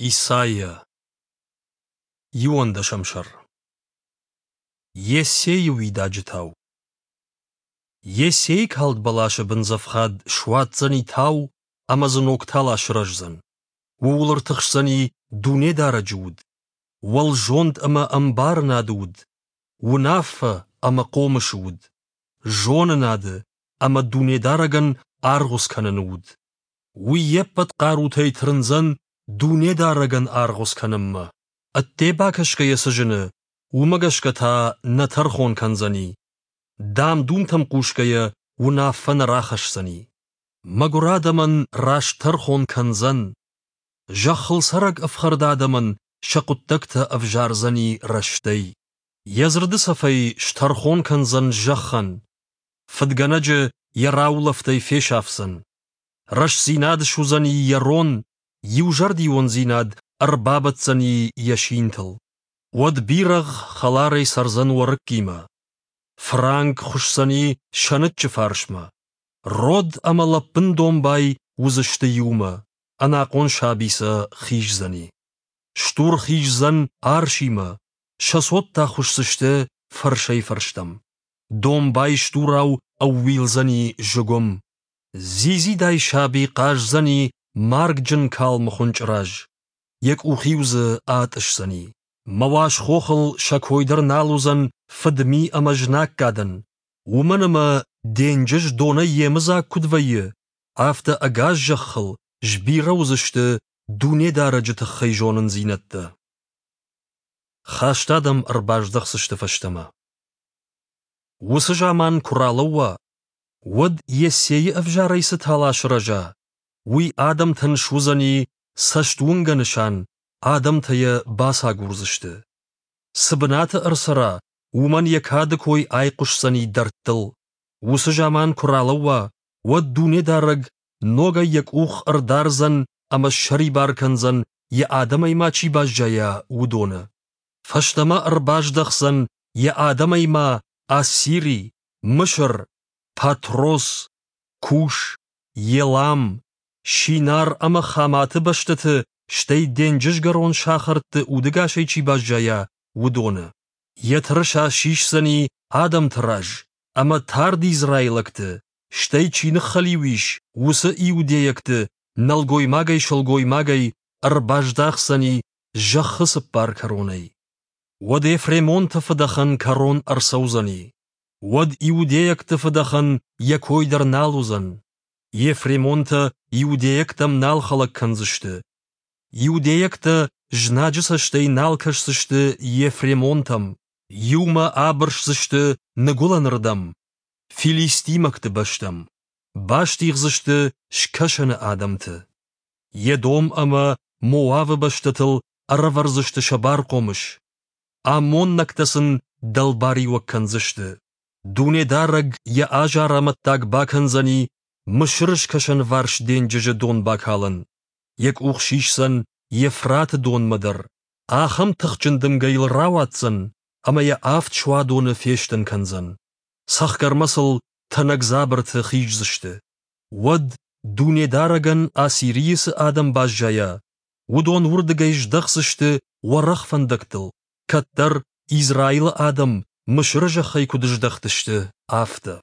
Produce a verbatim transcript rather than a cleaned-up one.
Исайа. Иуӕндӕсӕм сӕр. Йессейы уидаджы тау. Йессейы калд бӕласы бындзӕфхад суадздзӕни тау ӕмӕ дзы ног тала сырӕздзӕн. Ууыл ӕртыхсдзӕни Дунедарӕджы уд, уӕлзонд ӕмӕ ӕмбарынады уд, уынаффӕ ӕмӕ хъомысы уд, зонынады ӕмӕ Дунедарӕгӕн аргъуыц кӕныны уд. Уый йе ппӕт хъарутӕй тырндзӕн Дунедарӕгӕн аргъуыц кӕнынмӕ. Ӕдде бакӕсгӕйӕ цы зыны, уымӕ гӕсгӕ та нӕ тӕрхон кӕндзӕни. Дам-думтӕм хъусгӕйӕ уынаффӕ нӕ рахӕсдзӕни. Мӕгуыр адӕмӕн раст тӕрхон кӕндзӕн. Зӕххыл цӕрӕг ӕфхӕрд адӕмӕн сӕ хъуыддӕгтӕ ӕвзардзӕни рӕстӕй. Йӕ дзырды цӕфӕй стӕрхон кӕндзӕн зӕххӕн. Фыдгӕнӕджы йӕ раулӕфтӕй фесафдзӕн. Рӕстдзинад суыдзӕни йӕ рон, иузӕрдиондзинад ӕрбабӕтдзӕни йӕ синтыл. Уӕд бирӕгъ хӕларӕй цӕрдзӕн уӕрыккимӕ. Фыранк хуысдзӕни сӕныччы фарсмӕ. Род ӕмӕ лӕппын домбай уыдзысты иумӕ, ӕнахъом саби сӕ хиздзӕни. Стур хиздзӕн арсимӕ, сӕ цот та хуысдзысты фӕрсӕй-фӕрстӕм. Домбай стурау ӕууилдзӕни зыгуым. Дзидзидай саби хъаздзӕни маргджын калмы хуынчъы раз. Йӕ къух-иу дзы атъысдзӕни. Мӕ уаз хохыл сӕ кой дӕр нал уыдзӕн фыдми ӕмӕ знаггадӕн, уымӕн ӕмӕ денджыз донӕй йемыдзаг куыд вӕййы, афтӕ ӕгас зӕххыл сбирӕ уыдзысты Дунедарӕджы тыххӕй зонындзинӕдтӕ. Хаст адӕм ӕрбаздӕхдзысты фӕстӕмӕ. Уыцы заман куы ралӕууа, уӕд Йессейы ӕвзарӕй цы тала сырӕза, уый адӕмтӕн суыдзӕни цӕстуынгӕ нысан, адӕмтӕ йӕ бацагурдзысты. Цы бынаты ӕрцӕра, уымӕн йӕ кады кой айхъуысдзӕни дӕрдтыл. Уыцы заман куы ралӕууа, уӕд Дунедарӕг ногӕй йӕ къух ӕрдардзӕн ӕмӕ ссӕрибар кӕндзӕн, йӕ адӕмӕй ма чи баззайа, уыдоны. Фӕстӕмӕ ӕрбаздӕхдзӕн йӕ адӕмӕй ма Ассири, Мысыр, Патрос, Куш, Елам, Синар ӕмӕ Хаматы бӕстӕты, стӕй денджызгӕрон сахӕртты удӕгасӕй чи баззайа, уыдоны. Йӕ тырыса сисдзӕни адӕмты раз, ӕмӕ тард израилӕгты, стӕй чи ныххӕлиу ис, уыцы иудейӕгты, нӕлгоймагӕй-сылгоймагӕй, ӕрбаздахдзӕни зӕххы цыппар кӕронӕй. Уӕд ефремонты фыдӕхӕн кӕрон ӕрцӕудзӕни. Уӕд иудейӕгты фыдӕхӕн йӕ кой дӕр нал уыдзӕн. Ефремонтӕ иудейӕгтӕм нал хӕлӕг кӕндзысты. Иудейӕгтӕ знаджы цӕстӕй нал кӕсдзысты ефремонтӕм, иумӕ абырсдзысты ныгуылӕнырдӕм, филистимӕгты бӕстӕм, бастигъдзысты скӕсӕны адӕмты. Едом ӕмӕ Моавы бӕстӕтыл ӕрӕвӕрдзысты сӕ бархъомыс. Аммоннӕгтӕ сын дӕлбариуӕг кӕндзысты. Дунедарӕг йӕ азар амӕттаг бакӕндзӕни Мысыры скӕсӕнварс денджызы донбакӕлӕн. Йӕ къух сисдзӕн Евфраты донмӕ дӕр. Ахӕм тыхджын дымгӕ йыл рауадздзӕн, ӕмӕ йӕ авд суадоны фестын кӕндзӕн. Цӕхгӕрмӕ сыл тӕнӕг дзабырты хиздзысты. Уӕд Дунедарӕгӕн Ассирийы цы адӕм баззайа, уыдон уырдыгӕй здӕхдзысты уӕрӕх фӕндӕгтыл, кӕддӕр Израилы адӕм Мысыры зӕххӕй куыд здӕхтысты, афтӕ.